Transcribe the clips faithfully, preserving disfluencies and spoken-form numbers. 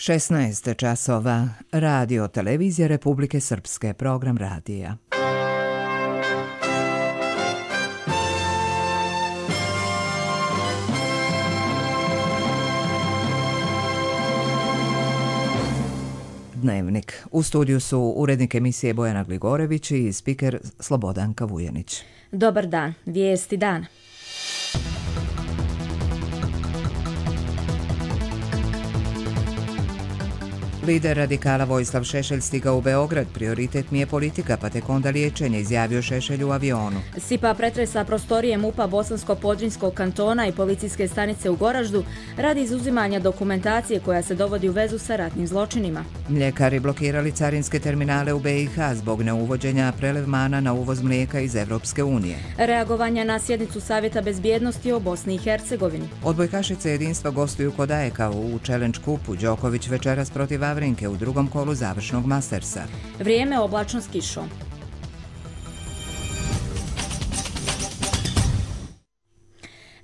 šesnaest časova. Radio Televizija Republike Srpske, program radija. Dnevnik. U studiju su urednik emisije Bojana Gligorević i spiker Slobodanka Vujanić. Dobar dan. Vijesti dana. Lider radikala Vojislav Šešelj stigao u Beograd. Prioritet mi je politika, pa tek onda liječenje, izjavio Šešelj u avionu. Sipa pretresa prostorije MUP-a Bosansko-Podrinjskog kantona i policijske stanice u Goraždu radi izuzimanja dokumentacije koja se dovodi u vezu sa ratnim zločinima. Mljekari blokirali carinske terminale u B i H zbog neuvođenja prelevmana na uvoz mlijeka iz Evropske unije. Reagovanja na sjednicu Savjeta bezbjednosti o Bosni i Hercegovini. Odbojkašice jedinstva gostuju kod Ajeka u Challenge kupu. Đoković večeras protiv Vavrinke u drugom kolu završnog Mastersa. Vrijeme oblačno s kišom.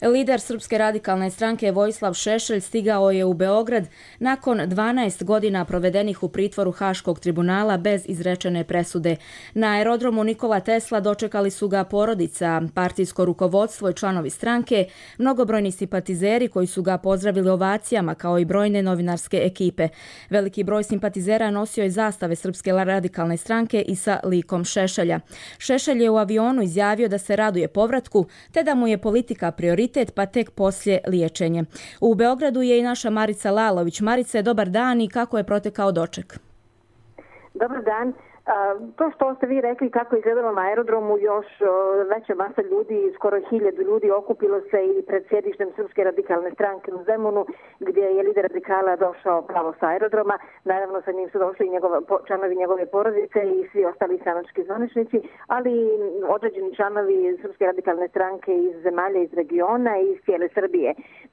Lider Srpske radikalne stranke Vojislav Šešelj stigao je u Beograd nakon dvanaest godina provedenih u pritvoru Haškog tribunala bez izrečene presude. Na aerodromu Nikola Tesla dočekali su ga porodica, partijsko rukovodstvo i članovi stranke, mnogobrojni simpatizeri koji su ga pozdravili ovacijama kao i brojne novinarske ekipe. Veliki broj simpatizera nosio je zastave Srpske radikalne stranke i sa likom Šešelja. Šešelj je u avionu izjavio da se raduje povratku te da mu je politika prioritet, pa tek poslije liječenje. U Beogradu je i naša Marica Lalović. Marice, dobar dan i kako je protekao doček? Dobar dan. To što ste vi rekli kako je izgledalo na aerodromu, još veća masa ljudi, skoro hiljadu ljudi okupilo se i pred sjedištem Srpske radikalne stranke u Zemunu, gdje je lider radikala došao pravo sa aerodroma. Naravno sa njim su došli i njegova, članovi njegove porodice i svi ostali stranački zvaničnici, ali određeni članovi Srpske radikalne stranke iz zemalja iz regiona i iz cijele Srbije.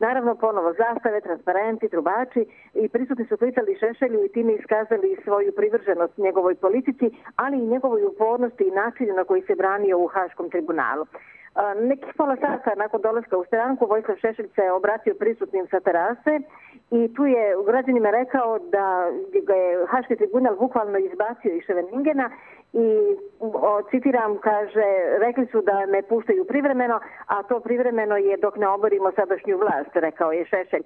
Naravno ponovo zastave, transparenti, trubači i prisutni su klicali Šešelju i time iskazali svoju privrženost njegovoj politici, ali i njegovoj upornosti i načinu na koji se branio u Haškom tribunalu. Nekih pola sata nakon dolaska u stranku Vojislav Šešelj se obratio prisutnim sa terase i tu je građanima rekao da ga je Haški tribunal bukvalno izbacio iz Ševeningena i o, citiram, kaže, rekli su da me puštaju privremeno, a to privremeno je dok ne oborimo sadašnju vlast, rekao je Šešelj.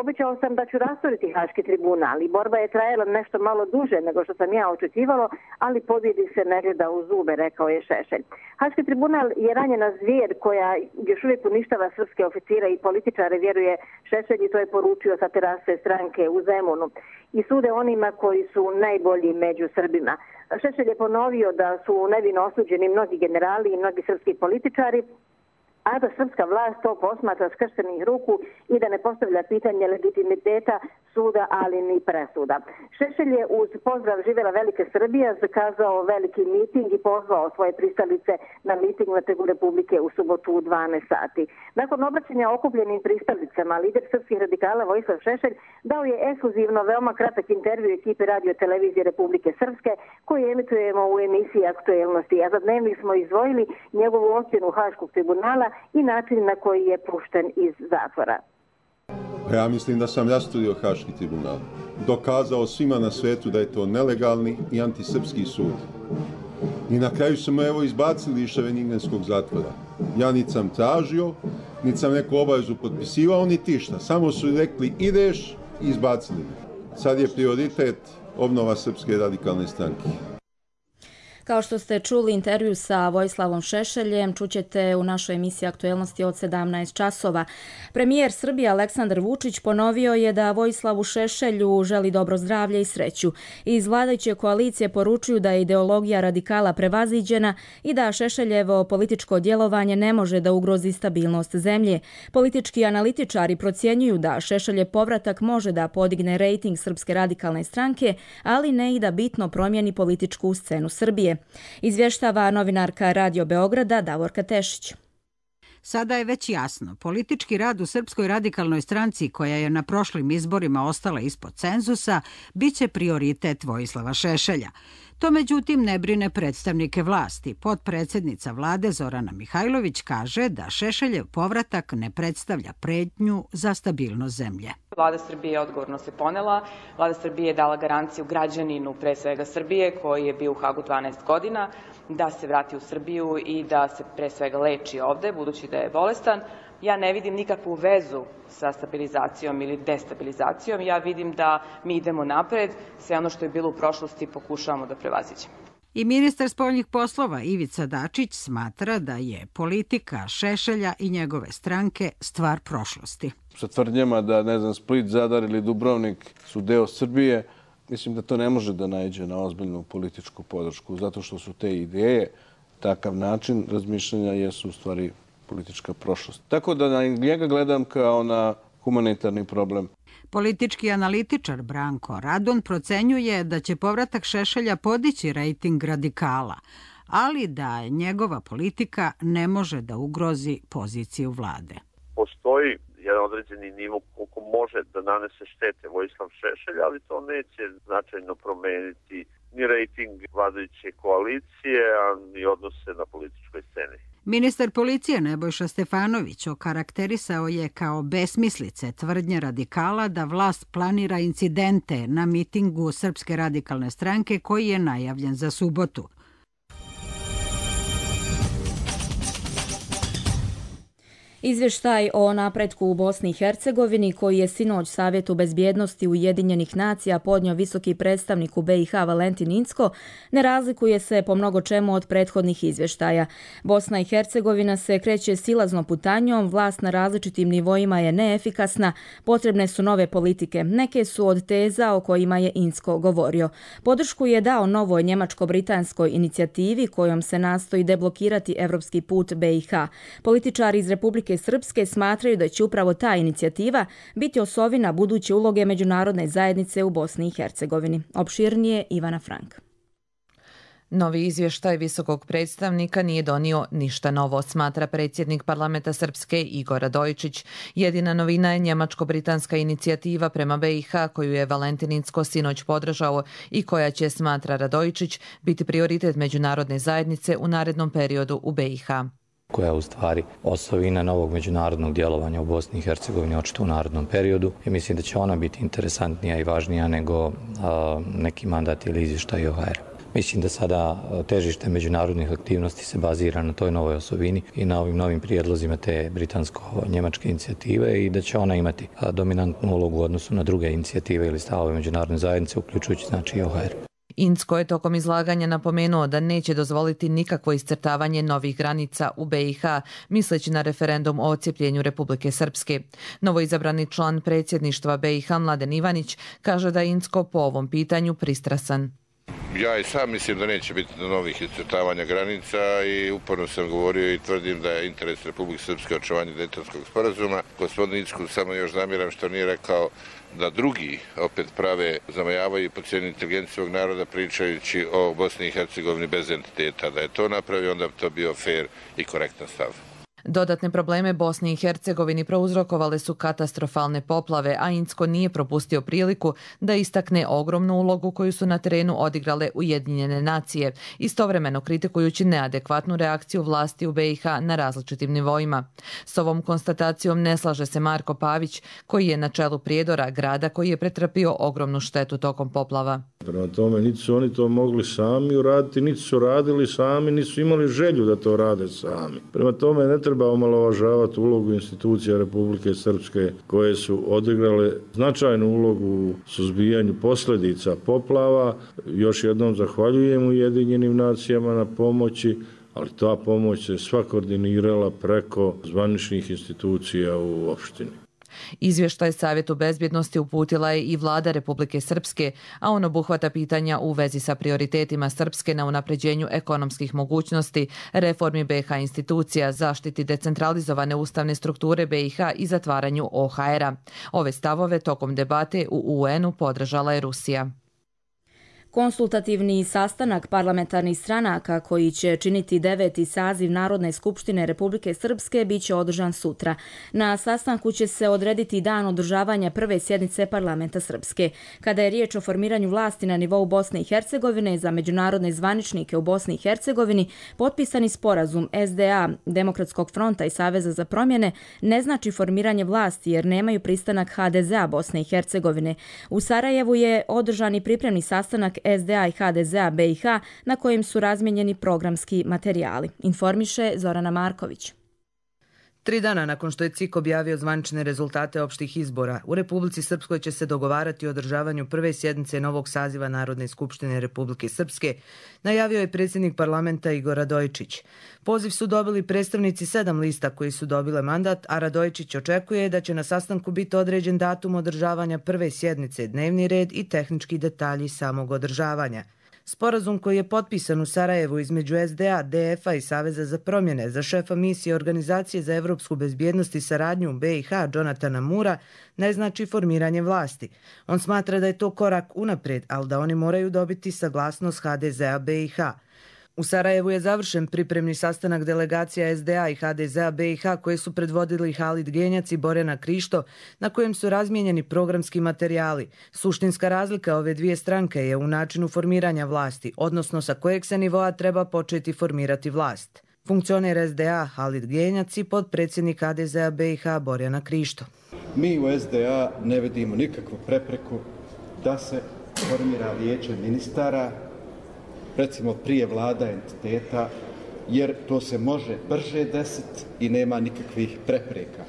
Obećao sam da ću rasturiti Haški tribunal i borba je trajala nešto malo duže nego što sam ja očekivalo, ali pobjedi se ne gleda u zube, rekao je Šešelj. Haški tribunal je ranjena zvijer koja još uvijek uništava srpske oficire i političare, vjeruje Šešelj, i to je poručio sa terase stranke u Zemunu. I sude onima koji su najbolji među Srbima. Šešelj je ponovio da su nevino osuđeni mnogi generali i mnogi srpski političari, a da srpska vlast to posmatra skrštenih ruku i da ne postavlja pitanje legitimiteta suda, ali ni presuda. Šešelj je uz pozdrav Živjela Velike Srbija zakazao veliki miting i pozvao svoje pristalice na miting na Trgu Republike u subotu u dvanaest sati. Nakon obraćanja okupljenim pristalicama, lider srpskih radikala Vojislav Šešelj dao je ekskluzivno veoma kratak intervju ekipi Radio Televizije Republike Srpske koju emitujemo u emisiji Aktuelnosti, a za dnevnik smo izdvojili njegovu ocjenu Haškog tribunala i način na koji je pušten iz zatvora. Ja mislim da sam rasturio Haški tribunal. Dokazao svima na svetu da je to nelegalni i antisrpski sud. I na kraju su me evo izbacili iz Ševeningenskog zatvora. Ja niti sam tražio, niti sam neku obavezu potpisivao, niti išta. Samo su rekli ideš i izbacili me. Sad je prioritet obnova Srpske radikalne stranke. Kao što ste čuli intervju sa Vojislavom Šešeljem, čućete u našoj emisiji Aktuelnosti od sedamnaest časova. Premijer Srbije Aleksandar Vučić ponovio je da Vojislavu Šešelju želi dobro zdravlje i sreću. Iz vladajuće koalicije poručuju da je ideologija radikala prevaziđena i da Šešeljevo političko djelovanje ne može da ugrozi stabilnost zemlje. Politički analitičari procjenjuju da Šešeljev povratak može da podigne rejting Srpske radikalne stranke, ali ne i da bitno promijeni političku scenu Srbije. Izvještava novinarka Radio Beograda Davorka Tešić. Sada je već jasno, politički rad u Srpskoj radikalnoj stranci, koja je na prošlim izborima ostala ispod cenzusa, bit će prioritet Vojislava Šešelja. To međutim ne brine predstavnike vlasti. Potpredsjednica vlade Zorana Mihajlović kaže da Šešeljev povratak ne predstavlja pretnju za stabilnost zemlje. Vlada Srbije odgovorno se ponela. Vlada Srbije je dala garanciju građaninu, pre svega Srbije, koji je bio u Hagu dvanaest godina, da se vrati u Srbiju i da se pre svega leči ovde, budući da je bolestan. Ja ne vidim nikakvu vezu sa stabilizacijom ili destabilizacijom. Ja vidim da mi idemo napred, sve ono što je bilo u prošlosti pokušavamo da prevaziđemo. I ministar spoljnih poslova Ivica Dačić smatra da je politika Šešelja i njegove stranke stvar prošlosti. Sa tvrdnjama da, ne znam, Split, Zadar ili Dubrovnik su deo Srbije, mislim da to ne može da naiđe na ozbiljnu političku podršku, zato što su te ideje, takav način razmišljanja jesu u stvari politička prošlost. Tako da na njega gledam kao na humanitarni problem. Politički analitičar Branko Radon procenjuje da će povratak Šešelja podići rejting radikala, ali da njegova politika ne može da ugrozi poziciju vlade. Postoji jedan određeni nivo koliko može da nanese štete Vojislav Šešelj, ali to neće značajno promeniti ni rejting vladajuće koalicije, a ni odnose na političkoj sceni. Ministar policije Nebojša Stefanović okarakterisao je kao besmislice tvrdnje radikala da vlast planira incidente na mitingu Srpske radikalne stranke koji je najavljen za subotu. Izvještaj o napretku u Bosni i Hercegovini koji je sinoć Savjetu bezbjednosti Ujedinjenih nacija podnio visoki predstavnik u be i ha Valentin Incko ne razlikuje se po mnogo čemu od prethodnih izvještaja. Bosna i Hercegovina se kreće silaznom putanjom, vlast na različitim nivoima je neefikasna, potrebne su nove politike. Neke su od teza o kojima je Incko govorio. Podršku je dao novoj njemačko-britanskoj inicijativi kojom se nastoji deblokirati evropski put be i ha. Političari iz Republike Srpske smatraju da će upravo ta inicijativa biti osovina buduće uloge međunarodne zajednice u Bosni i Hercegovini. Opširnije Ivana Frank. Novi izvještaj visokog predstavnika nije donio ništa novo, smatra predsjednik parlamenta Srpske Igor Radojičić. Jedina novina je njemačko-britanska inicijativa prema be i ha koju je Valentin Incko sinoć podržao i koja će, smatra Radojičić, biti prioritet međunarodne zajednice u narednom periodu u be i ha. Koja je u stvari osovina novog međunarodnog djelovanja u Bosni i Hercegovini očito u narednom periodu. I mislim da će ona biti interesantnija i važnija nego a, neki mandat ili izvještaj o ha er. Mislim da sada težište međunarodnih aktivnosti se bazira na toj novoj osovini i na ovim novim prijedlozima te britansko-njemačke inicijative i da će ona imati dominantnu ulogu u odnosu na druge inicijative ili stavove međunarodne zajednice, uključujući znači i o ha er. Incko je tokom izlaganja napomenuo da neće dozvoliti nikakvo iscrtavanje novih granica u be i ha, misleći na referendum o odcijepljenju Republike Srpske. Novoizabrani član predsjedništva be i ha Mladen Ivanić kaže da je Incko po ovom pitanju pristrasan. Ja i sam mislim da neće biti novih iscrtavanja granica i uporno sam govorio i tvrdim da je interes Republike Srpske očuvanje Dejtonskog sporazuma. Gospodin Incko samo još zamjeram što nije rekao da drugi opet prave zamajavaju i podcijenju inteligenciju svog naroda pričajući o Bosni i Hercegovini bez entiteta. Da je to napravio, onda bi to bio fair i korektan stav. Dodatne probleme Bosni i Hercegovini prouzrokovale su katastrofalne poplave, a Incko nije propustio priliku da istakne ogromnu ulogu koju su na terenu odigrale Ujedinjene nacije, istovremeno kritikujući neadekvatnu reakciju vlasti u be i ha na različitim nivoima. S ovom konstatacijom ne slaže se Marko Pavić, koji je na čelu Prijedora, grada koji je pretrpio ogromnu štetu tokom poplava. Prema tome, niti su oni to mogli sami uraditi, niti su radili sami, niti su imali želju da to rade sami. Prema tome, ne treba omalovažavati ulogu institucija Republike Srpske koje su odigrale značajnu ulogu u suzbijanju posljedica poplava. Još jednom zahvaljujem Ujedinjenim nacijama na pomoći, ali ta pomoć se sva koordinirala preko zvaničnih institucija u opštini. Izvještaj Savjetu bezbjednosti uputila je i vlada Republike Srpske, a on obuhvata pitanja u vezi sa prioritetima Srpske na unapređenju ekonomskih mogućnosti, reformi be i ha institucija, zaštiti decentralizovane ustavne strukture be i ha i zatvaranju o ha era. Ove stavove tokom debate u u en u podržala je Rusija. Konsultativni sastanak parlamentarnih stranaka koji će činiti deveti saziv Narodne skupštine Republike Srpske biće održan sutra. Na sastanku će se odrediti dan održavanja prve sjednice parlamenta Srpske. Kada je riječ o formiranju vlasti na nivou Bosne i Hercegovine za međunarodne zvaničnike u Bosni i Hercegovini, potpisani sporazum S D A, Demokratskog fronta i Saveza za promjene ne znači formiranje vlasti jer nemaju pristanak H D Z A Bosne i Hercegovine. U Sarajevu je održan i pripremni sastanak S D A i H D Z A B i H na kojem su razmijenjeni programski materijali. Informiše Zorana Marković. Tri dana nakon što je C I K objavio zvanične rezultate opštih izbora, u Republici Srpskoj će se dogovarati o održavanju prve sjednice novog saziva Narodne skupštine Republike Srpske, najavio je predsjednik parlamenta Igor Radojičić. Poziv su dobili predstavnici sedam lista koji su dobile mandat, a Radojičić očekuje da će na sastanku biti određen datum održavanja prve sjednice, dnevni red i tehnički detalji samog održavanja. Sporazum koji je potpisan u Sarajevu između S D A, D F A i Saveza za promjene za šefa misije Organizacije za evropsku bezbjednost i saradnju u B i H Jonatana Mura ne znači formiranje vlasti. On smatra da je to korak unaprijed, ali da oni moraju dobiti saglasnost H D Z A B i H. U Sarajevu je završen pripremni sastanak delegacija S D A i H D Z A B i H koje su predvodili Halid Genjac i Borjana Krišto, na kojem su razmijenjeni programski materijali. Suštinska razlika ove dvije stranke je u načinu formiranja vlasti, odnosno sa kojeg se nivoa treba početi formirati vlast. Funkcioner S D A Halid Genjac i potpredsjednik H D Z A B i H Borjana Krišto. Mi u S D A ne vidimo nikakvu prepreku da se formira vijeće ministara, recimo prije vlada entiteta, jer to se može brže desiti i nema nikakvih prepreka.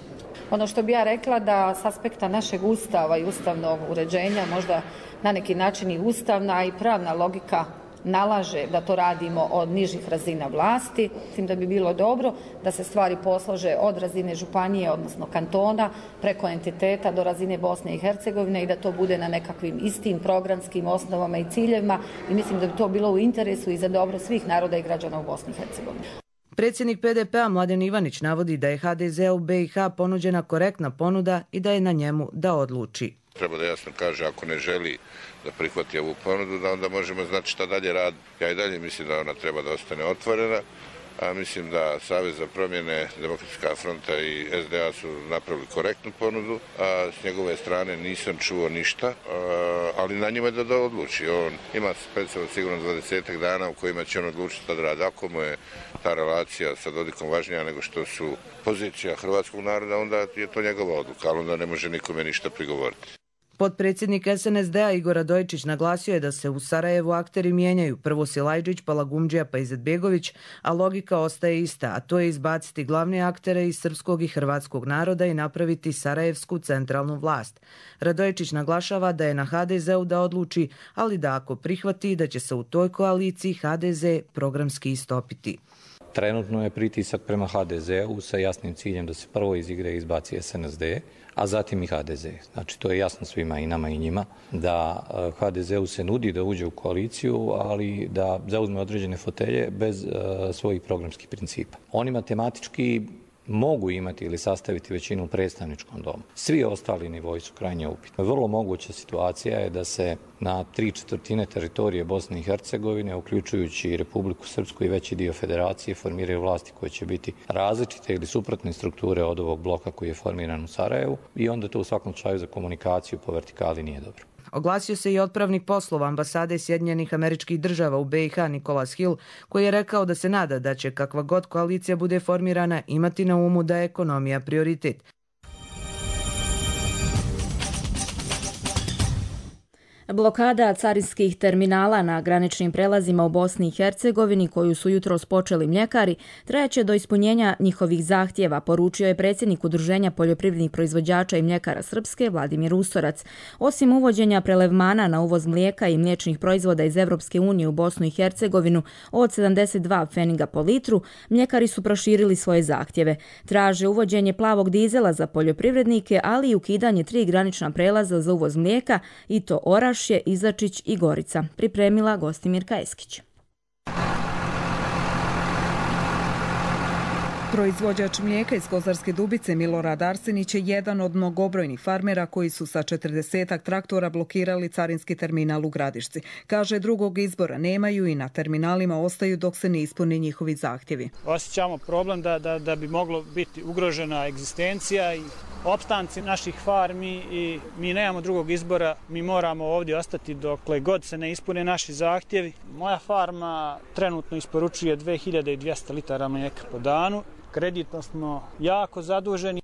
Ono što bi ja rekla da s aspekta našeg ustava i ustavnog uređenja, možda na neki način i ustavna i pravna logika nalaže da to radimo od nižih razina vlasti. Mislim da bi bilo dobro da se stvari poslože od razine županije, odnosno kantona, preko entiteta do razine Bosne i Hercegovine i da to bude na nekakvim istim programskim osnovama i ciljevima i mislim da bi to bilo u interesu i za dobro svih naroda i građana u Bosni i Hercegovini. Predsjednik P D P-a Mladen Ivanić navodi da je H D Z u B i H ponuđena korektna ponuda i da je na njemu da odluči. Treba da jasno kaže ako ne želi da prihvati ovu ponudu, da onda možemo znati šta dalje radi. Ja i dalje mislim da ona treba da ostane otvorena, a mislim da Savez za promjene, Demokratska fronta i S D A su napravili korektnu ponudu, a s njegove strane nisam čuo ništa, ali na njima je da, da odluči. On ima specijalno sigurno dvadesetak dana u kojima će on odlučiti šta da radi. Ako mu je ta relacija sa Dodikom važnija nego što su pozicija hrvatskog naroda, onda je to njegova odluka, ali onda ne može nikome ništa prigovoriti. Potpredsjednik S N S D-a Igor Radojičić naglasio je da se u Sarajevu akteri mijenjaju, prvo Silajđić, pa Lagumđija, pa Izetbegović, a logika ostaje ista, a to je izbaciti glavne aktere iz srpskog i hrvatskog naroda i napraviti sarajevsku centralnu vlast. Radojičić naglašava da je na H D Z-u da odluči, ali da ako prihvati da će se u toj koaliciji H D Z programski istopiti. Trenutno je pritisak prema H D Z-u sa jasnim ciljem da se prvo iz igre izbaci S N S D, a zatim i H D Z. Znači, to je jasno svima i nama i njima, da H D Z-u se nudi da uđe u koaliciju, ali da zauzme određene fotelje bez uh, svojih programskih principa. Oni matematički mogu imati ili sastaviti većinu u predstavničkom domu. Svi ostali nivoji su krajnje upitni. Vrlo moguća situacija je da se na tri četvrtine teritorije Bosne i Hercegovine, uključujući i Republiku Srpsku i veći dio federacije, formiraju vlasti koje će biti različite ili suprotne strukture od ovog bloka koji je formiran u Sarajevu i onda to u svakom slučaju za komunikaciju po vertikali nije dobro. Oglasio se i otpravnik poslova ambasade Sjedinjenih Američkih Država u B i H Nicholas Hill, koji je rekao da se nada da će kakva god koalicija bude formirana imati na umu da je ekonomija prioritet. Blokada carinskih terminala na graničnim prelazima u Bosni i Hercegovini, koju su jutros počeli mljekari, trajaće do ispunjenja njihovih zahtjeva, poručio je predsjednik Udruženja poljoprivrednih proizvođača i mljekara Srpske Vladimir Ustorac. Osim uvođenja prelevmana na uvoz mlijeka i mliječnih proizvoda iz Evropske unije u Bosnu i Hercegovinu od sedamdeset dva pfeniga po litru, mljekari su proširili svoje zahtjeve. Traže uvođenje plavog dizela za poljoprivrednike, ali i ukidanje tri granična prelaza za uvoz mlijeka, i to Oraš, Izačić i Gorica. Pripremila Gostimirka Eskić. Proizvođač mlijeka iz Kozarske Dubice Milorad Arsenić je jedan od mnogobrojnih farmera koji su sa četrdesetak traktora blokirali carinski terminal u Gradišci. Kaže, drugog izbora nemaju i na terminalima ostaju dok se ne ispune njihovi zahtjevi. Osjećamo problem da, da, da bi moglo biti ugrožena egzistencija i opstanci naših farmi i mi nemamo drugog izbora. Mi moramo ovdje ostati dokle god se ne ispune naši zahtjevi. Moja farma trenutno isporučuje dve hiljade dvjesto litara mlijeka po danu. Kreditno smo jako zaduženi.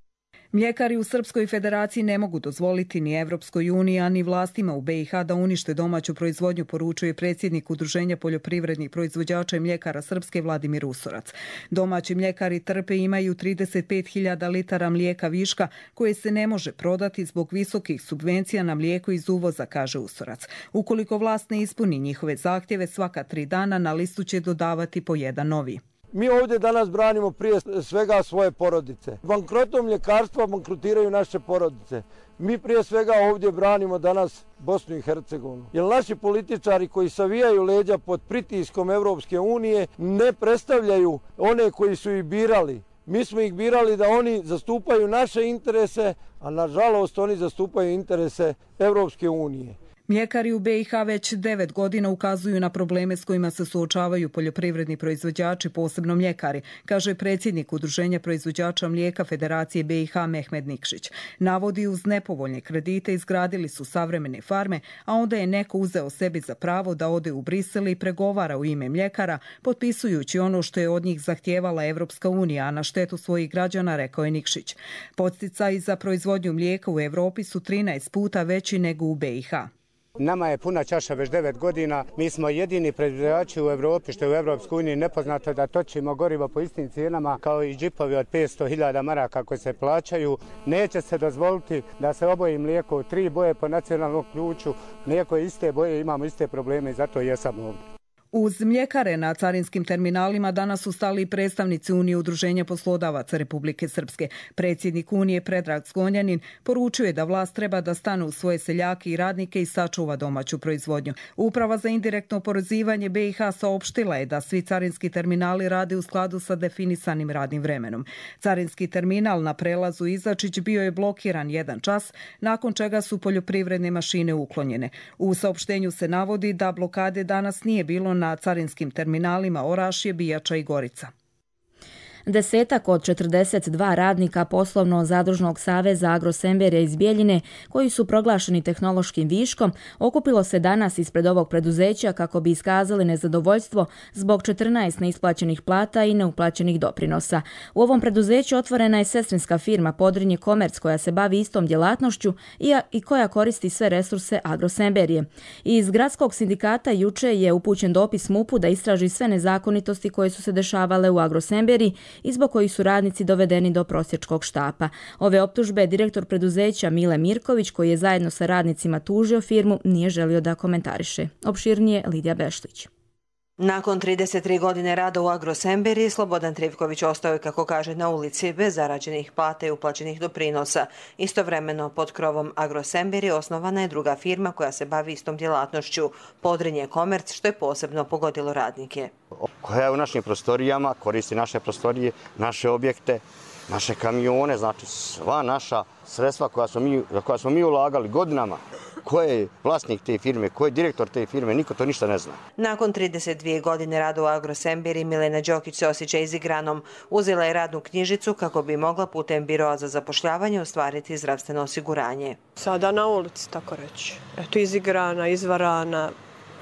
Mljekari u Srpskoj federaciji ne mogu dozvoliti ni Evropskoj uniji, a ni vlastima u be i ha da unište domaću proizvodnju, poručuje predsjednik Udruženja poljoprivrednih proizvođača i mljekara Srpske Vladimir Usorac. Domaći mljekari trpe i imaju trideset pet hiljada litara mlijeka viška koje se ne može prodati zbog visokih subvencija na mlijeko iz uvoza, kaže Usorac. Ukoliko vlast ne ispuni njihove zahtjeve, svaka tri dana na listu će dodavati po jedan novi. Mi ovdje danas branimo prije svega svoje porodice. Bankrotom mljekarstva bankrotiraju naše porodice. Mi prije svega ovdje branimo danas Bosnu i Hercegovinu. Jer naši političari koji savijaju leđa pod pritiskom Evropske unije ne predstavljaju one koji su ih birali. Mi smo ih birali da oni zastupaju naše interese, a nažalost oni zastupaju interese Evropske unije. Mljekari u be i ha već devet godina ukazuju na probleme s kojima se suočavaju poljoprivredni proizvođači, posebno mljekari, kaže predsjednik Udruženja proizvođača mlijeka Federacije be i ha Mehmed Nikšić. Navodi, uz nepovoljne kredite izgradili su savremene farme, a onda je neko uzeo sebi za pravo da ode u Brisel i pregovara u ime mljekara, potpisujući ono što je od njih zahtijevala Evropska unija, a na štetu svojih građana, rekao je Nikšić. Podsticaji za proizvodnju mlijeka u Evropi su trinaest puta veći nego u be i ha. Nama je puna čaša već devet godina. Mi smo jedini proizvođači u Evropi, što je u Evropskoj uniji nepoznato, da točimo gorivo po istim cijenama kao i džipovi od petsto hiljada maraka koje se plaćaju. Neće se dozvoliti da se oboji mlijeko u tri boje po nacionalnom ključu. Mlijeko je iste boje, imamo iste probleme i zato jesam ovdje. Uz mljekare na carinskim terminalima danas su stali i predstavnici Unije udruženja poslodavaca Republike Srpske. Predsjednik Unije Predrag Zgonjanin poručuje da vlast treba da stane u svoje seljake i radnike i sačuva domaću proizvodnju. Uprava za indirektno oporezivanje be i ha saopštila je da svi carinski terminali rade u skladu sa definisanim radnim vremenom. Carinski terminal na prelazu Izačić bio je blokiran jedan čas, nakon čega su poljoprivredne mašine uklonjene. U saopštenju se navodi da blokade danas nije bilo na na carinskim terminalima Orašje, Bijača i Gorica. Desetak od četrdeset dva radnika poslovno-zadružnog saveza Agrosemberija iz Bijeljine, koji su proglašeni tehnološkim viškom, okupilo se danas ispred ovog preduzeća kako bi iskazali nezadovoljstvo zbog četrnaest neisplaćenih plata i neuplaćenih doprinosa. U ovom preduzeću otvorena je sestrinska firma Podrinje Komerc koja se bavi istom djelatnošću i koja koristi sve resurse Agrosemberije. Iz gradskog sindikata juče je upućen dopis mupu da istraži sve nezakonitosti koje su se dešavale u Agrosemberiji i zbog kojih su radnici dovedeni do prosjačkog štapa. Ove optužbe direktor preduzeća Mile Mirković, koji je zajedno sa radnicima tužio firmu, nije želio da komentariše. Opširnije Lidija Bešlić. Nakon trideset tri godine rada u Agrosemberiji, Slobodan Trivković ostao je, kako kaže, na ulici bez zarađenih plata i uplaćenih doprinosa. Istovremeno, pod krovom Agrosemberije osnovana je druga firma koja se bavi istom djelatnošću, Podrinje Komerc, što je posebno pogodilo radnike. Koja je u našim prostorijama, koristi naše prostorije, naše objekte, naše kamione, znači sva naša sredstva koja smo mi, koja smo mi ulagali godinama. Ko je vlasnik te firme, ko je direktor te firme, niko to ništa ne zna. Nakon trideset dvije godine rada u Agrosemberiji, Milena Đokić se osjeća izigranom. Uzela je radnu knjižicu kako bi mogla putem biroa za zapošljavanje ostvariti zdravstveno osiguranje. Sada na ulici, tako reći. Eto, izigrana, izvarana,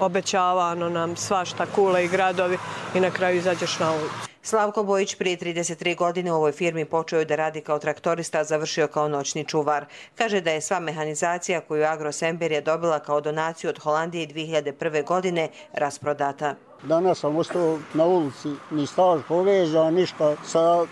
obećavano nam svašta, kule i gradovi i na kraju izađeš na ulicu. Slavko Bojić prije trideset tri godine u ovoj firmi počeo je da radi kao traktorista, a završio kao noćni čuvar. Kaže da je sva mehanizacija koju Agrosemberija dobila kao donaciju od Holandije dvije hiljade prve. godine rasprodata. Danas sam ostao na ulici, ni staž povezan, ništa sa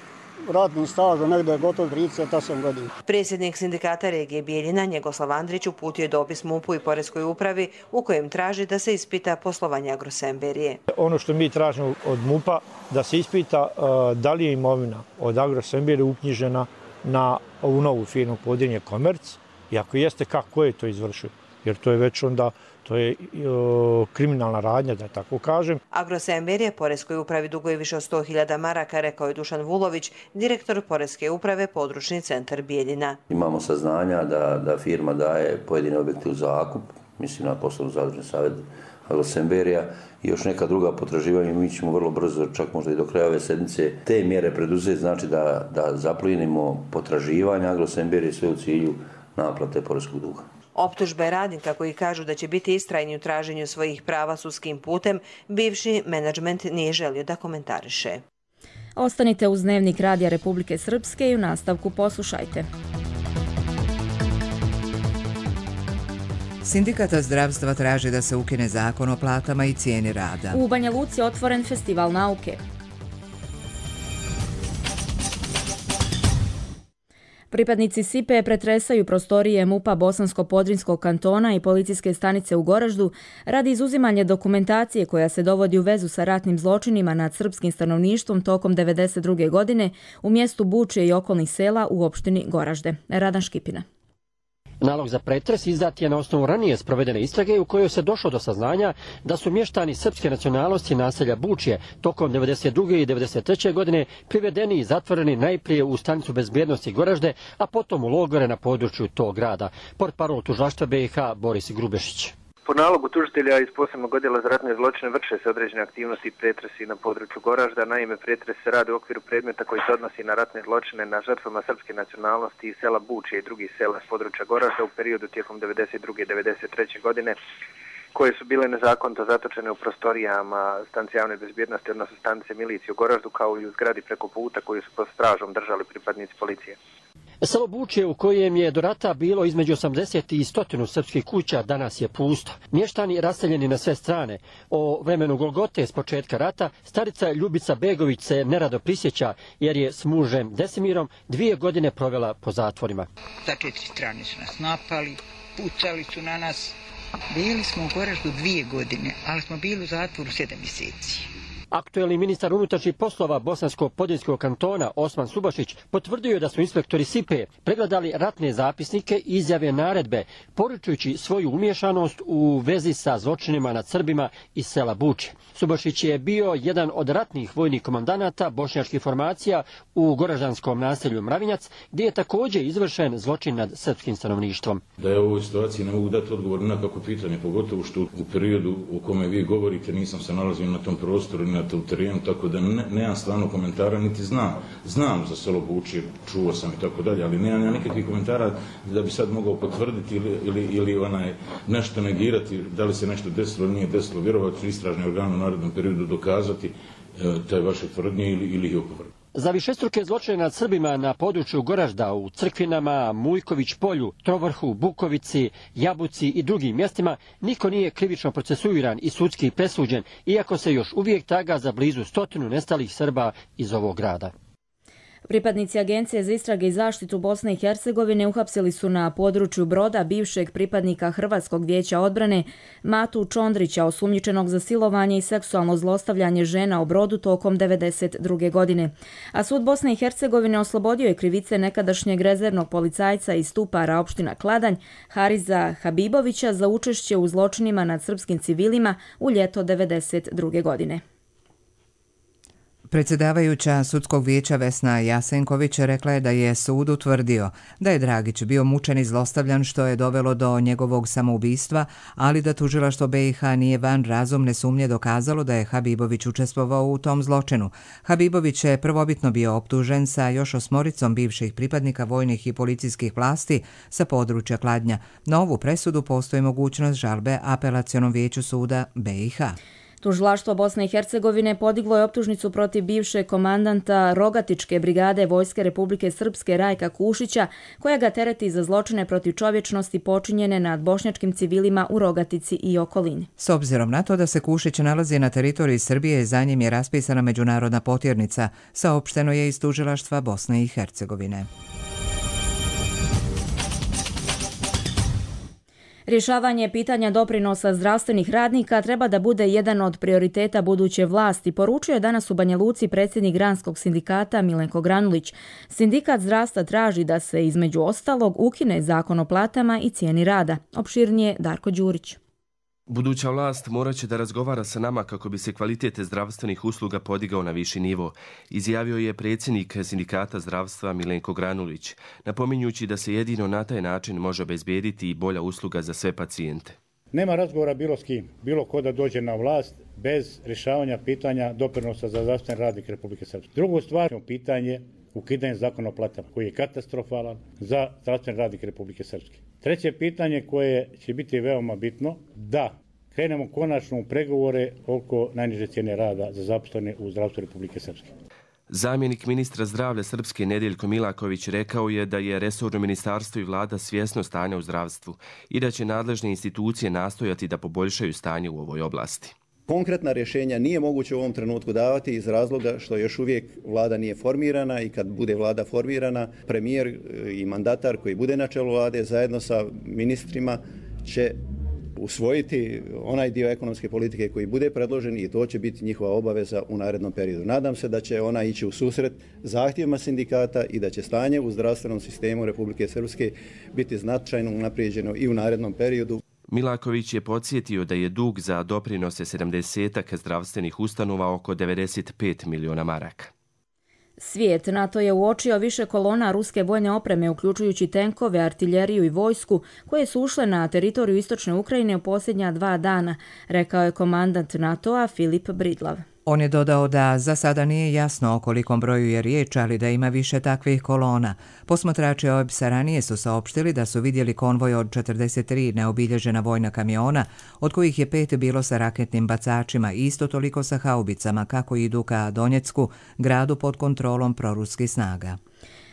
radnim stažom, negdje je gotovo trideset osam godina. Predsjednik sindikata regije Bijeljina, Njegoslav Andrić, uputio je dopis mupu i poreskoj upravi u kojem traži da se ispita poslovanje Agrosemberije. Ono što mi tražimo od mupa da se ispita uh, da li je imovina od Agrosemberije uknjižena na ovu novu firmu Podrinje Komerc i ako jeste, kako je to izvršio. jer to je već onda to je o, kriminalna radnja, da tako kažem. Agrosember je poreskoj upravi duguje više od sto hiljada maraka, rekao je Dušan Vulović, direktor Poreske uprave područni centar Bijeljina. Imamo saznanja da, da firma daje pojedine objekte u zakup, mislim na poslovno zadružni savjet Agrosemberija i još neka druga potraživanja. Mi ćemo vrlo brzo, čak možda i do kraja ove sedmice, te mjere preduzeti, znači da, da zaplinimo potraživanja Agrosemberije sve u cilju naplate poreskog duga. Optužbe radnika koji kažu da će biti istrajni u traženju svojih prava sudskim putem, bivši menadžment nije želio da komentariše. Ostanite uz Dnevnik Radija Republike Srpske i u nastavku poslušajte. Sindikata zdravstva traži da se ukine zakon o platama i cijeni rada. U Banja Luci je otvoren festival nauke. Pripadnici S I P E pretresaju prostorije MUP-a Bosansko-Podrinjskog kantona i policijske stanice u Goraždu radi izuzimanja dokumentacije koja se dovodi u vezu sa ratnim zločinima nad srpskim stanovništvom tokom devedeset druge godine u mjestu Bučje i okolnih sela u opštini Goražde. Radan Škipina. Nalog za pretres izdat je na osnovu ranije sprovedene istrage u kojoj se došlo do saznanja da su mještani srpske nacionalnosti naselja Bučje tokom devedeset druge i devedeset treće godine privedeni i zatvoreni najprije u stanicu bezbjednosti Goražde, a potom u logore na području tog grada. Portparol tužilaštva B i H Boris Grubešić. Po nalogu tužitelja iz posebnog odjela za ratne zločine vrše se određene aktivnosti i pretresi na području Goražda. Naime, pretres se radi u okviru predmeta koji se odnosi na ratne zločine na žrtvama srpske nacionalnosti iz sela Bučje i drugih sela s područja Goražda u periodu tijekom devedeset druge i devedeset treće godine, koje su bile nezakonito zatočene u prostorijama stanice javne bezbjednosti, odnosno stanice milicije u Goraždu, kao i u zgradi preko puta koju su pod stražom držali pripadnici policije. Selo Bučje, u kojem je do rata bilo između osamdeset i sto srpskih kuća, danas je pusto. Mještani raseljeni na sve strane. O vremenu Golgote s početka rata starica Ljubica Begović se nerado prisjeća jer je s mužem Desimirom dvije godine provela po zatvorima. Sa četiri strane su nas napali, pucali su na nas. Bili smo u Goraždu dvije godine, ali smo bili u zatvoru sedam mjeseci. Aktuelni ministar unutrašnjih poslova Bosansko-Podrinjskog kantona Osman Subašić potvrdio je da su inspektori S I P E pregledali ratne zapisnike i izjave naredbe, poručujući svoju umješanost u vezi sa zločinima nad Srbima iz sela Bučje. Subašić je bio jedan od ratnih vojnih komandanata bošnjačkih formacija u goraždanskom naselju Mravinjac, gdje je također izvršen zločin nad srpskim stanovništvom. Da je u ovoj situaciji ne mogu dati odgovor na kako pitanje, pogotovo što u periodu u kome vi govorite nisam se nalazio na tom prostoru, na tom terenu, tako da ne, nemam stvarno komentara, niti znam. Znam za selo Bučje, čuo sam i tako dalje, ali nemam ja nikakvih komentara da bi sad mogao potvrditi ili, ili, ili onaj, nešto negirati, da li se nešto desilo ili nije desilo. Vjerovatno su istražni organe u narednom periodu dokazati e, taj vaše tvrdnje ili, ili ih opovrgnuti. Za višestruke zločine nad Srbima na području Goražda u Crkvinama, Mujković polju, Trovrhu, Bukovici, Jabuci i drugim mjestima niko nije krivično procesuiran i sudski presuđen, iako se još uvijek traga za blizu stotinu nestalih Srba iz ovog grada. Pripadnici Agencije za istrage i zaštitu Bosne i Hercegovine uhapsili su na području Broda bivšeg pripadnika Hrvatskog vijeća odbrane Matu Čondrića, osumnjičenog za silovanje i seksualno zlostavljanje žena u Brodu tokom devedeset druge godine. A sud Bosne i Hercegovine oslobodio je krivice nekadašnjeg rezervnog policajca iz Stupara opština Kladanj Hariza Habibovića za učešće u zločinima nad srpskim civilima u ljeto devedeset druge godine. Predsjedavajuća sudskog vijeća Vesna Jasenković rekla je da je sud utvrdio da je Dragić bio mučen i zlostavljan što je dovelo do njegovog samoubistva, ali da tužilaštvo B i H nije van razumne sumnje dokazalo da je Habibović učestvovao u tom zločinu. Habibović je prvobitno bio optužen sa još osmoricom bivših pripadnika vojnih i policijskih vlasti sa područja Kladnja. Na ovu presudu postoji mogućnost žalbe Apelacionom vijeću suda B i H. Tužilaštvo Bosne i Hercegovine podiglo je optužnicu protiv bivšeg komandanta Rogatičke brigade Vojske Republike Srpske Rajka Kušića, koja ga tereti za zločine protiv čovječnosti počinjene nad bošnjačkim civilima u Rogatici i okolini. S obzirom na to da se Kušić nalazi na teritoriji Srbije, za njim je raspisana međunarodna potjernica, saopšteno je iz tužilaštva Bosne i Hercegovine. Rješavanje pitanja doprinosa zdravstvenih radnika treba da bude jedan od prioriteta buduće vlasti, poručuje danas u Banja Luci predsjednik Granskog sindikata Milenko Granulić. Sindikat zdravstva traži da se između ostalog ukine zakon o platama i cijeni rada. Opširnije Darko Đurić. Buduća vlast morat će da razgovara sa nama kako bi se kvalitet zdravstvenih usluga podigao na viši nivo, izjavio je predsjednik sindikata zdravstva Milenko Granulić, napominjući da se jedino na taj način može obezbediti i bolja usluga za sve pacijente. Nema razgovora bilo s kim, bilo ko da dođe na vlast bez rješavanja pitanja doprinosa za zdravstvene radnike Republike Srpske. Drugo stvar je pitanje ukidanja zakona o platama, koji je katastrofalan za zdravstvene radnike Republike Srpske. Treće pitanje koje će biti veoma bitno, da krenemo konačno u pregovore oko najniže cijene rada za zaposlene u zdravstvu Republike Srpske. Zamjenik ministra zdravlja Srpske Nedeljko Milaković rekao je da je resorno ministarstvo i vlada svjesno stanja u zdravstvu i da će nadležne institucije nastojati da poboljšaju stanje u ovoj oblasti. Konkretna rješenja nije moguće u ovom trenutku davati iz razloga što još uvijek vlada nije formirana i kad bude vlada formirana, premijer i mandatar koji bude na čelu vlade zajedno sa ministrima će usvojiti onaj dio ekonomske politike koji bude predložen i to će biti njihova obaveza u narednom periodu. Nadam se da će ona ići u susret zahtjevima sindikata i da će stanje u zdravstvenom sistemu Republike Srpske biti značajno unaprijeđeno i u narednom periodu. Milaković je podsjetio da je dug za doprinose sedamdesetak zdravstvenih ustanova oko devedeset pet miliona maraka. Svijet NATO je uočio više kolona ruske vojne opreme, uključujući tenkove, artiljeriju i vojsku, koje su ušle na teritoriju istočne Ukrajine u posljednja dva dana, rekao je komandant NATO-a Filip Bridlav. On je dodao da za sada nije jasno o kolikom broju je riječ, ali da ima više takvih kolona. Posmatrači O E B S-a ranije su saopštili da su vidjeli konvoj od četrdeset tri neobilježena vojna kamiona, od kojih je pet bilo sa raketnim bacačima i isto toliko sa haubicama kako idu ka Donjecku, gradu pod kontrolom proruskih snaga.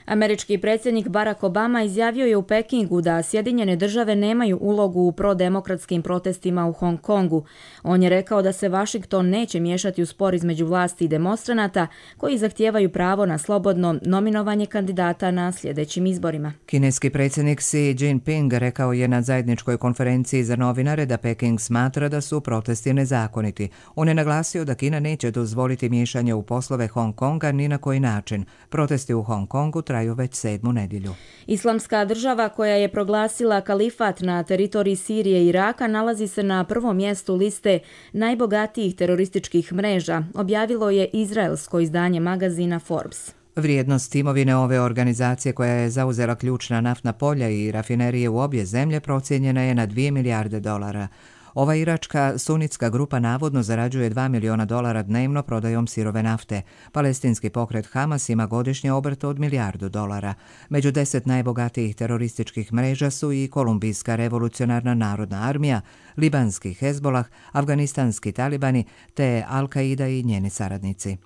Američki predsjednik Barack Obama izjavio je u Pekingu da Sjedinjene države nemaju ulogu u prodemokratskim protestima u Hong Kongu. On je rekao da se Washington neće miješati u spor između vlasti i demonstranata koji zahtijevaju pravo na slobodno nominovanje kandidata na sljedećim izborima. Kineski predsjednik Xi Jinping rekao je na zajedničkoj konferenciji za novinare da Peking smatra da su protesti nezakoniti. On je naglasio da Kina neće dozvoliti miješanje u poslove Hong Konga ni na koji način. Protesti u Hong Kongu traju već sedmu nedjelju. Islamska država koja je proglasila kalifat na teritoriji Sirije i Iraka nalazi se na prvom mjestu liste najbogatijih terorističkih mreža, objavilo je izraelsko izdanje magazina Forbes. Vrijednost imovine ove organizacije koja je zauzela ključna naftna polja i rafinerije u obje zemlje procijenjena je na dvije milijarde dolara. Ova iračka sunitska grupa navodno zarađuje dva miliona dolara dnevno prodajom sirove nafte. Palestinski pokret Hamas ima godišnje obrt od milijardu dolara. Među deset najbogatijih terorističkih mreža su i Kolumbijska revolucionarna narodna armija, libanski Hezbolah, afganistanski talibani te Al-Qaida i njeni saradnici.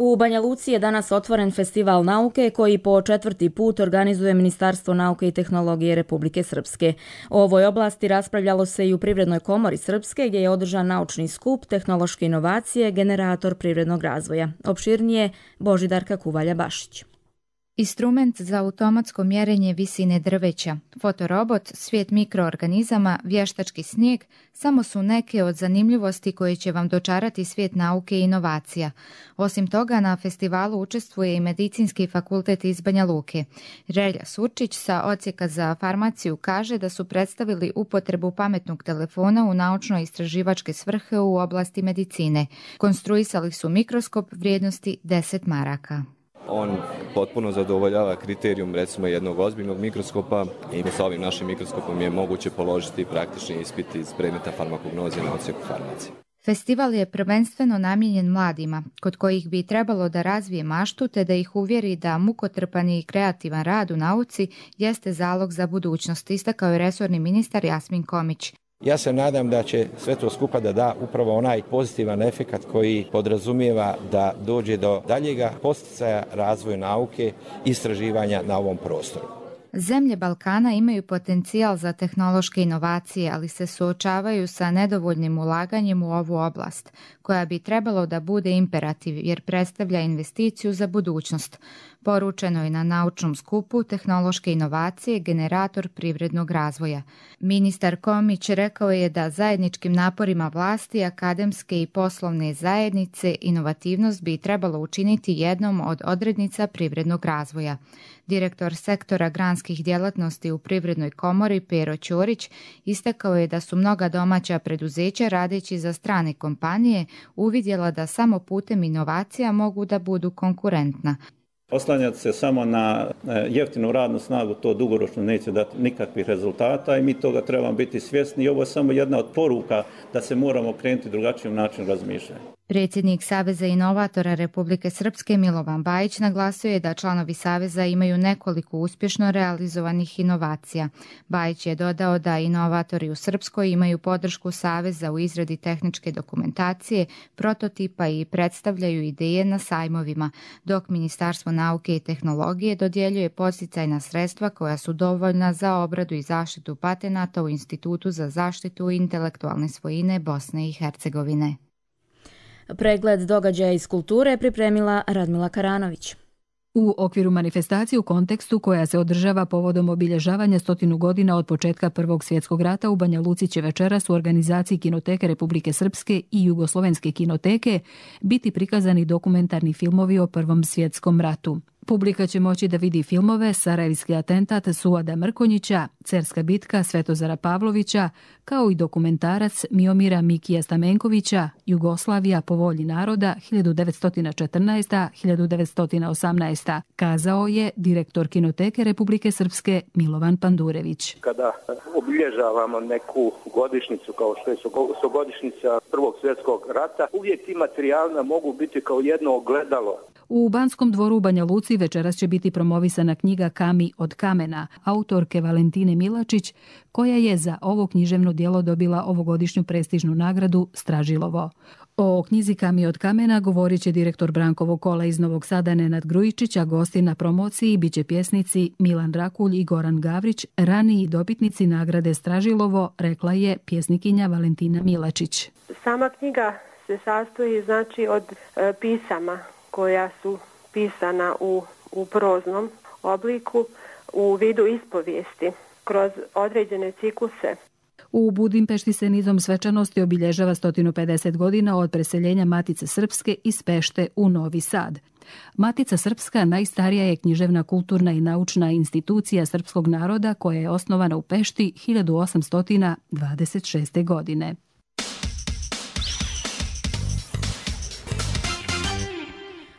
U Banja Luci je danas otvoren festival nauke koji po četvrti put organizuje Ministarstvo nauke i tehnologije Republike Srpske. O ovoj oblasti raspravljalo se i u Privrednoj komori Srpske gdje je održan naučni skup tehnološke inovacije, generator privrednog razvoja. Opširnije Božidarka Kuvalja-Bašić. Instrument za automatsko mjerenje visine drveća, fotorobot, svijet mikroorganizama, vještački snijeg samo su neke od zanimljivosti koje će vam dočarati svijet nauke i inovacija. Osim toga, na festivalu učestvuje i Medicinski fakultet iz Banja Luke. Relja Surčić sa odsjeka za farmaciju kaže da su predstavili upotrebu pametnog telefona u naučno-istraživačke svrhe u oblasti medicine. Konstruisali su mikroskop vrijednosti deset maraka. On potpuno zadovoljava kriterijum recimo jednog ozbiljnog mikroskopa i sa ovim našim mikroskopom je moguće položiti praktični ispit iz predmeta farmakognoze na odsjeku farmacije. Festival je prvenstveno namijenjen mladima, kod kojih bi trebalo da razvije maštu te da ih uvjeri da mukotrpan i kreativan rad u nauci jeste zalog za budućnost, istakao je resorni ministar Jasmin Komić. Ja se nadam da će sve to skupa da da upravo onaj pozitivan efekat koji podrazumijeva da dođe do daljega posticaja razvoja nauke i istraživanja na ovom prostoru. Zemlje Balkana imaju potencijal za tehnološke inovacije, ali se suočavaju sa nedovoljnim ulaganjem u ovu oblast, koja bi trebalo da bude imperativ jer predstavlja investiciju za budućnost. Poručeno je na naučnom skupu Tehnološke inovacije, generator privrednog razvoja. Ministar Komić rekao je da zajedničkim naporima vlasti, akademske i poslovne zajednice inovativnost bi trebalo učiniti jednom od odrednica privrednog razvoja. Direktor sektora granskih djelatnosti u Privrednoj komori Pero Ćorić istakao je da su mnoga domaća preduzeća radeći za strane kompanije uvidjela da samo putem inovacija mogu da budu konkurentna. Oslanjati se samo na jeftinu radnu snagu, to dugoročno neće dati nikakvih rezultata i mi toga trebamo biti svjesni i ovo je samo jedna od poruka da se moramo krenuti drugačijim načinom razmišljanja. Predsjednik Saveza inovatora Republike Srpske Milovan Bajić naglasio je da članovi Saveza imaju nekoliko uspješno realizovanih inovacija. Bajić je dodao da inovatori u Srpskoj imaju podršku Saveza u izradi tehničke dokumentacije, prototipa i predstavljaju ideje na sajmovima, dok Ministarstvo nauke i tehnologije dodjeljuje podsticajna sredstva koja su dovoljna za obradu i zaštitu patenata u Institutu za zaštitu intelektualne svojine Bosne i Hercegovine. Pregled događaja iz kulture pripremila Radmila Karanović. U okviru manifestacije u kontekstu koja se održava povodom obilježavanja stotinu godina od početka Prvog svjetskog rata u Banja Luci će večeras u organizaciji Kinoteke Republike Srpske i Jugoslovenske kinoteke biti prikazani dokumentarni filmovi o Prvom svjetskom ratu. Publika će moći da vidi filmove Sarajevski atentat Suada Mrkonjića, Cerska bitka Svetozara Pavlovića, kao i dokumentarac Miomira Mikija Stamenkovića Jugoslavija po volji naroda hiljadu devetsto četrnaesta do hiljadu devetsto osamnaesta, kazao je direktor Kinoteke Republike Srpske Milovan Pandurević. Kada obilježavamo neku godišnicu kao što je stogodišnjica Prvog svjetskog rata, uvijek ti materijali mogu biti kao jedno ogledalo. U Banskom dvoru u Banja Luci večeras će biti promovisana knjiga Kami od kamena, autorke Valentine Milačić, koja je za ovo književno djelo dobila ovogodišnju prestižnu nagradu Stražilovo. O knjizi Kami od kamena govorit će direktor Brankovog kola iz Novog Sada Nenad Grujičić, a gosti na promociji biće pjesnici Milan Rakulj i Goran Gavrić, raniji dobitnici nagrade Stražilovo, rekla je pjesnikinja Valentina Milačić. Sama knjiga se sastoji znači od e, pisama koja su pisana u, u proznom obliku u vidu ispovijesti kroz određene cikluse. U Budimpešti se nizom svečanosti obilježava sto pedeset godina od preseljenja Matice Srpske iz Pešte u Novi Sad. Matica Srpska najstarija je književna, kulturna i naučna institucija srpskog naroda koja je osnovana u Pešti hiljadu osamsto dvadeset šeste. godine.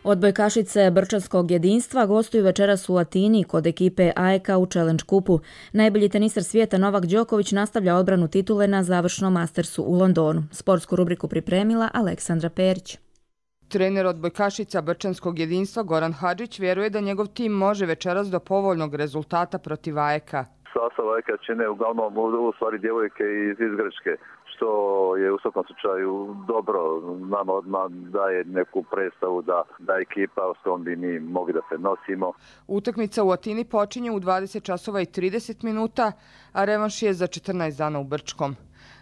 Odbojkašice Brčanskog jedinstva gostuju večeras u Atini kod ekipe A E K u Challenge kupu. Najbolji tenisar svijeta Novak Đoković nastavlja odbranu titule na završnom Mastersu u Londonu. Sportsku rubriku pripremila Aleksandra Perić. Trener odbojkašica Brčanskog jedinstva Goran Hadžić vjeruje da njegov tim može večeras do povoljnog rezultata protiv A E K. Sastav A E K čine uglavnom u stvari djevojke iz Grčke, što je u svakom slučaju dobro, nama odmah daje neku predstavu da, da ekipa s kojom bi mi mogli da se nosimo. Utakmica u Atini počinje u dvadeset časova i trideset minuta, a revanš je za četrnaest dana u Brčkom.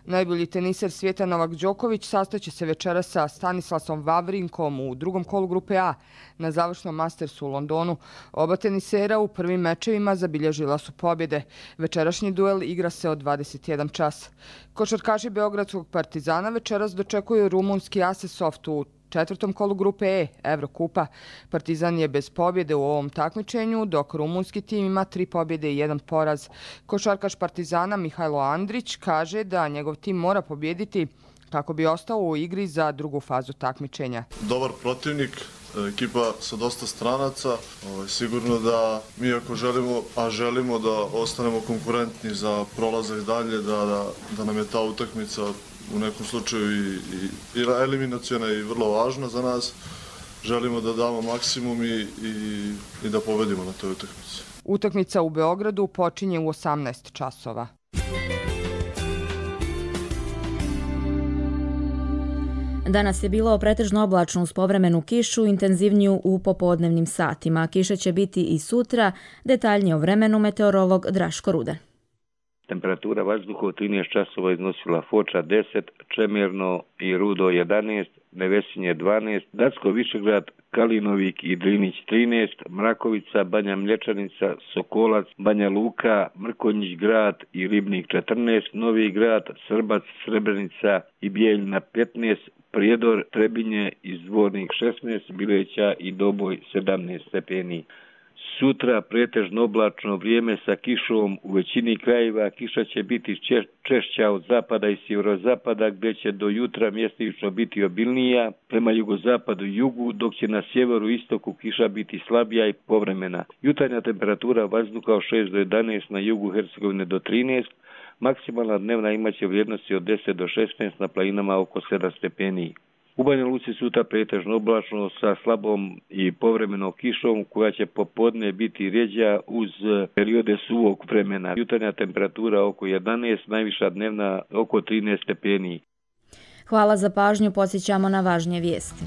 Najbolji teniser svijeta Novak Đoković sastaće se večera sa Stanislasom Vavrinkom u drugom kolu grupe A na završnom Mastersu u Londonu. Oba tenisera u prvim mečevima zabilježila su pobjede. Večerašnji duel igra se od dvadeset jedan čas. Košarkaši Beogradskog Partizana večeras dočekuju rumunski Asesoft u četvrtom kolu grupe E, Evrokupa. Partizan je bez pobjede u ovom takmičenju, dok rumunski tim ima tri pobjede i jedan poraz. Košarkaš Partizana Mihajlo Andrić kaže da njegov tim mora pobjediti kako bi ostao u igri za drugu fazu takmičenja. Dobar protivnik, ekipa sa dosta stranaca. Sigurno da mi ako želimo, a želimo da ostanemo konkurentni za prolazak dalje, da, da, da nam je ta utakmica u nekom slučaju i, i, i eliminacijona i vrlo važna za nas. Želimo da damo maksimum i, i, i da pobedimo na toj utakmici. Utakmica u Beogradu počinje u osamnaest časova. Danas je bilo pretežno oblačno uz povremenu kišu, intenzivniju u popodnevnim satima. Kiše će biti i sutra, detaljnije o vremenu meteorolog Draško Rudan. Temperatura vazduha u trinaest časova iznosila Foča deset, Čemerno i Rudo jedanaest, Nevesinje dvanaest, Dacko Višegrad, Kalinovik i Drinić trinaest, Mrakovica, Banja Mlječanica, Sokolac, Banja Luka, Mrkonjić grad i Ribnik četrnaest, Novi grad, Srbac, Srebrenica i Bijeljina petnaest, Prijedor, Trebinje i Zvornik šesnaest, Bileća i Doboj sedamnaest stepeni. Sutra pretežno oblačno vrijeme sa kišom, u većini krajeva kiša će biti češća od zapada i sjeverozapada gdje će do jutra mjestimično biti obilnija prema jugozapadu i jugu, dok će na sjeveru i istoku kiša biti slabija i povremena. Jutarnja temperatura vazduha od šest do jedanaest, na jugu Hercegovine do trinaest, maksimalna dnevna imaće vrijednosti od deset do šesnaest, na planinama oko sedam stepeni. U Banja Luci sutra pretežno oblačno sa slabom i povremenom kišom koja će popodne biti rjeđa uz periode suvog vremena. Jutarnja temperatura oko jedanaest, najviša dnevna oko trinaest stepeni. Hvala za pažnju, podsjećamo na važnije vijesti.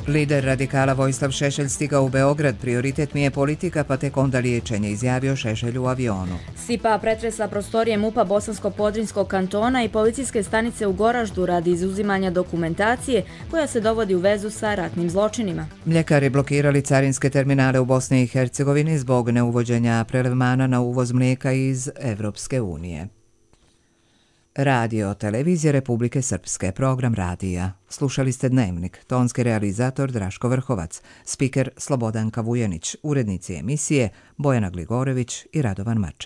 Lider radikala Vojislav Šešelj stigao u Beograd. Prioritet mi je politika, pa tek onda liječenje, izjavio Šešelj u avionu. Sipa pretresa prostorije MUP-a Bosansko-Podrinjskog kantona i policijske stanice u Goraždu radi izuzimanja dokumentacije koja se dovodi u vezu sa ratnim zločinima. Mljekari blokirali carinske terminale u Bosni i Hercegovini zbog neuvođenja prelevmana na uvoz mlijeka iz Evropske unije. Radio Televizije Republike Srpske, program radija. Slušali ste Dnevnik, tonski realizator Draško Vrhovac, spiker Slobodanka Vujanić, urednici emisije Bojana Gligorević i Radovan Mač.